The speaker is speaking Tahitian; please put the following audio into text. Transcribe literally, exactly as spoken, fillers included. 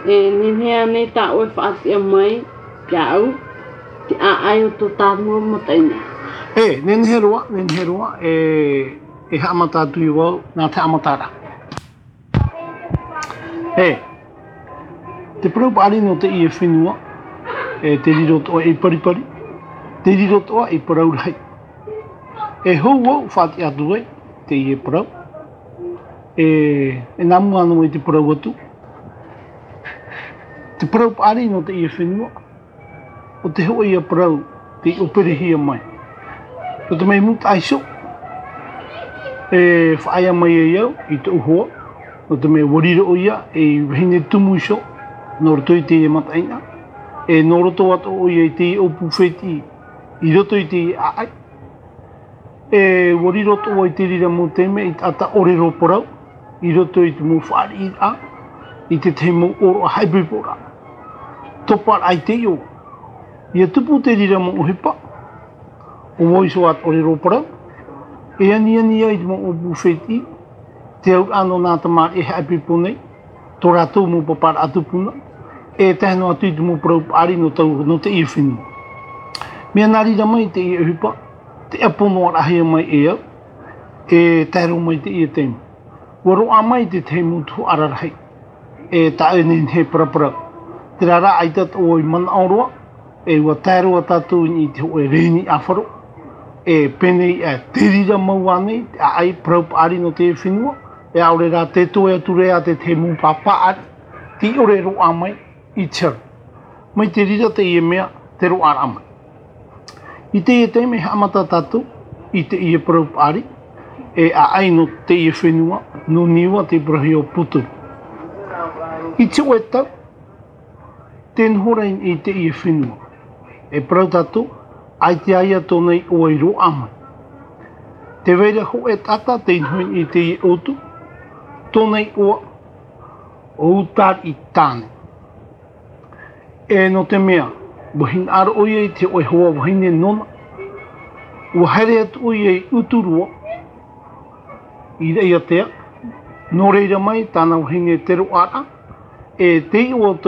E nehenehe ānei tā ʻoe e faʻatiʻa mai iāʻu, te ʻāʻai o tō tāua mataʻeinaʻa? E, nehenehe roa, nehenehe roa, e, e haʻamata atu vau, nā te haʻamataraʻa. E, te parau paʻari nō teie fenua, e, te riro atoʻa ei paripari, te riro atoʻa ei parau rahi. E hou vau faʻatiʻa atu ai, teie parau. E, e nā mua noa i te parau atu. Te parau paʻari nō teie fenua, ʻo te hōʻē ia parau tei ʻōperehia mai. Nō te mea i mūtaʻa iho, e faʻaea mai ai au i tōʻu hoa, nō te mea ʻua riro ʻoia ei vahine tumu iho, nō roto i teie mataʻeinaʻa, e nō roto atoʻa ʻoia i teie ʻōpū fētiʻi, i roto i teie ʻāʻai. E ʻua riro atoʻa i te reira mau taime ei taʻata ʻōrero parau, i roto i te mau fāriʻiraʻa, i te tahi mau ʻōroʻa haʻaipoiporaʻa. Toparaʻa i te iʻoa. ʻIa tupu te reira mau ʻohipa, ʻo vau iho ā te ʻōrero parau, e aniani ai i te mau ʻōpū fētiʻi, te auraʻa nō nā tamariʻi e haʻaipoipo nei, tō rātou mau paparaʻa tupuna, e tae noa atu i te mau parau paʻari nō tau, nō teie fenua. Mea nā reira mai teie ʻohipa, te ʻapo noa rahi mai e au, e tae roa mai teie taime. ʻUa roaʻa mai te tahi mau tuhaʻa rahi, e taʻu e nehenehe paraparau. Terā rā, ʻaita atoʻa i manaʻo roa, e ʻua tae roa tātou i te hōʻē rēni ʻāfaro, e pēnei ā, te reira mau ānei, te ʻāʻai parau paʻari nō teie fenua, e ʻaore rā te toe atu ra te tahi mau pāpaʻari, tei ʻore e roaʻa mai i te hau. Mai te reira teie mea, te roaʻaraʻa mai. I teie taime e haʻamata tātou, i teie parau paʻari, e ʻāʻai nō teie fenua, nō Niua te parauhia ʻo Puturu. I te hōʻē tau, tē noho ra i teie fenua. E parau tātou, ʻaita ïa tōna iʻoa i roaʻa mai. Tē vai ra hōʻē taʻata tei noho i teie ʻōtu, tōna iʻoa ʻo Utariʻi Tāne. E nō te mea, ʻua hinaʻaro ʻoia i te hōʻē hoa vahine nōna, ʻua haere atu ʻoia i Uturoa, i Raʻiātea, nō reira mai tāna vahine te roaʻaraʻa, e te iʻoa